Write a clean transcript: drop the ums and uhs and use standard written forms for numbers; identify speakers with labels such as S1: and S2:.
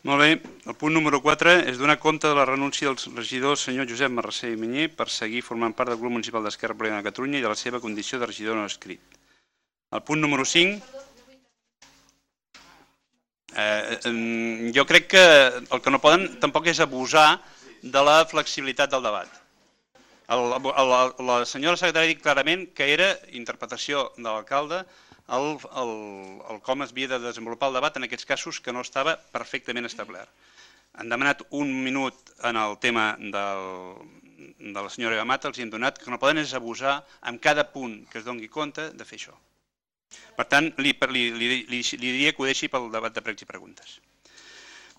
S1: Molt bé. El punt número 4 és donar compte de la renúncia del regidor senyor Josep Marrasser i Manyer per seguir formant part del grup municipal d'Esquerra Republicana de Catalunya i de la seva condició de regidor no escrit. El punt número 5... jo crec que el que no poden tampoc és abusar de la flexibilitat del debat. La senyora secretària ha dit clarament que era interpretació de l'alcalde el com es havia de desenvolupar el debat en aquests casos que no estava perfectament establert. Han demanat un minut en el tema de la senyora Eva Mata, els hem donat, que no poden és abusar en cada punt que es doni compte de fer això. Per tant, li diria que ho deixi pel debat de pregs i preguntes.